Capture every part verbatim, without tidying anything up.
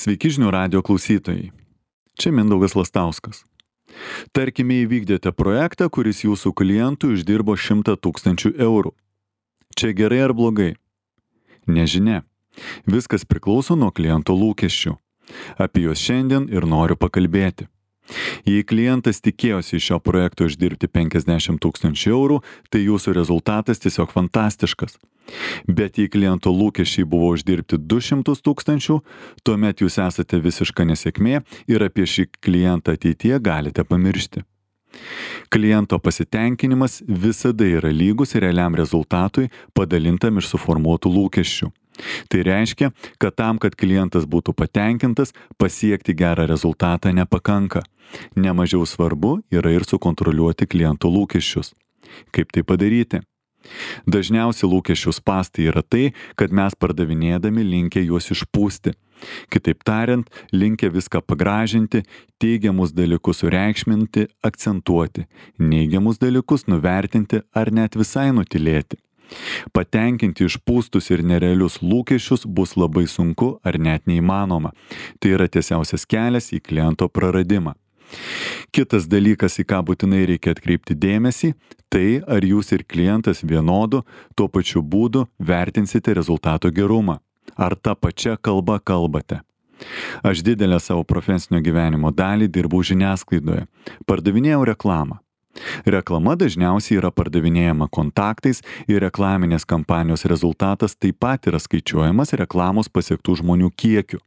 Sveiki žinių radijo klausytojai. Čia Mindaugas Lastauskas. Tarkime, įvykdėte projektą, kuris jūsų klientų uždirbo šimtą tūkstančių eurų. Čia gerai ar blogai? Nežinia. Viskas priklauso nuo kliento lūkesčių. Apie juos šiandien ir noriu pakalbėti. Jei klientas tikėjosi iš šio projekto uždirbti penkiasdešimt tūkstančių eurų, tai jūsų rezultatas tiesiog fantastiškas. Bet jei kliento lūkesčiai buvo uždirbti du šimtus tūkstančių, tuomet jūs esate visiška nesėkmė ir apie šį klientą ateityje galite pamiršti. Kliento pasitenkinimas visada yra lygus realiam rezultatui padalintam iš suformuotų lūkesčių. Tai reiškia, kad tam, kad klientas būtų patenkintas, pasiekti gerą rezultatą nepakanka. Nemažiau svarbu yra ir sukontroliuoti kliento lūkesčius. Kaip tai padaryti? Dažniausiai lūkesčių spąstai yra tai, kad mes pardavinėdami linkę juos išpūsti. Kitaip tariant, linkę viską pagražinti, teigiamus dalykus sureikšminti, akcentuoti, neigiamus dalykus nuvertinti ar net visai nutylėti. Patenkinti išpūstus ir nerealius lūkesčius bus labai sunku ar net neįmanoma. Tai yra tiesiausias kelias į kliento praradimą. Kitas dalykas, į ką būtinai reikia atkreipti dėmesį, tai ar jūs ir klientas vienodu, tuo pačiu būdu vertinsite rezultato gerumą. Ar tą pačią kalbą kalbate. Aš didelę savo profesinio gyvenimo dalį dirbau žiniasklaidoje. Pardavinėjau reklamą. Reklama dažniausiai yra pardavinėjama kontaktais ir reklaminės kampanijos rezultatas taip pat yra skaičiuojamas reklamos pasiektų žmonių kiekiu.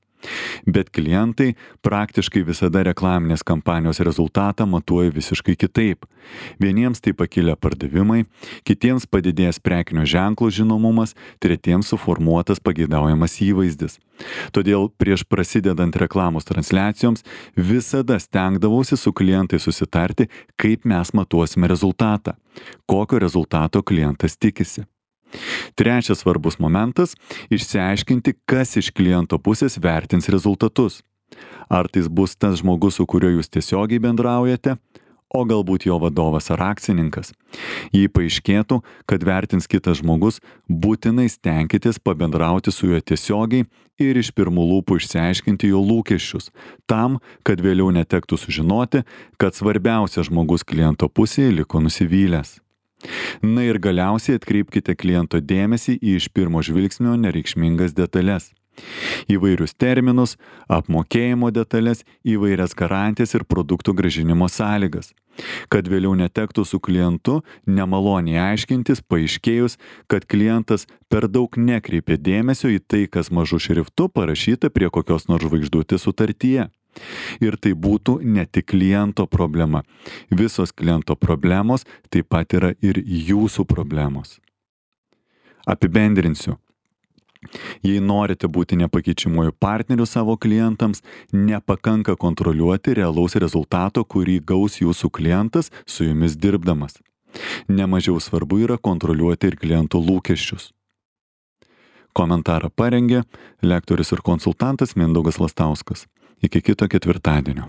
Bet klientai praktiškai visada reklaminės kampanijos rezultatą matuoja visiškai kitaip. Vieniems tai pakilę pardavimai, kitiems padidėjęs prekinio ženklo žinomumas, tretiems suformuotas pageidaujamas įvaizdis. Todėl prieš prasidedant reklamos transliacijoms visada stengdavausi su klientais susitarti, kaip mes matuosime rezultatą, kokio rezultato klientas tikisi. Trečias svarbus momentas – išsiaiškinti, kas iš kliento pusės vertins rezultatus. Ar tai bus tas žmogus, su kuriuo jūs tiesiogiai bendraujate, o galbūt jo vadovas ar akcininkas. Jei paaiškėtų, kad vertins kitas žmogus, būtinai stenkitės pabendrauti su juo tiesiogiai ir iš pirmų lūpų išsiaiškinti jo lūkesčius, tam, kad vėliau netektų sužinoti, kad svarbiausias žmogus kliento pusėje liko nusivylęs. Na ir galiausiai atkreipkite kliento dėmesį į iš pirmo žvilgsnio nereikšmingas detalės. Įvairius terminus, apmokėjimo detalės, įvairias garantijas ir produktų grąžinimo sąlygas. Kad vėliau netektų su klientu nemaloniai aiškintis, paaiškėjus, kad klientas per daug nekreipė dėmesio į tai, kas mažu šriftu parašyta prie kokios nors žvaigždutės sutartyje. Ir tai būtų ne tik kliento problema. Visos kliento problemos taip pat yra ir jūsų problemos. Apibendrinsiu. Jei norite būti nepakeičiamuoju partneriu savo klientams, nepakanka kontroliuoti realaus rezultato, kurį gaus jūsų klientas su jumis dirbdamas. Nemažiau svarbu yra kontroliuoti ir kliento lūkesčius. Komentarą parengė lektorius ir konsultantas Mindaugas Lastauskas. Iki kito ketvirtadienio.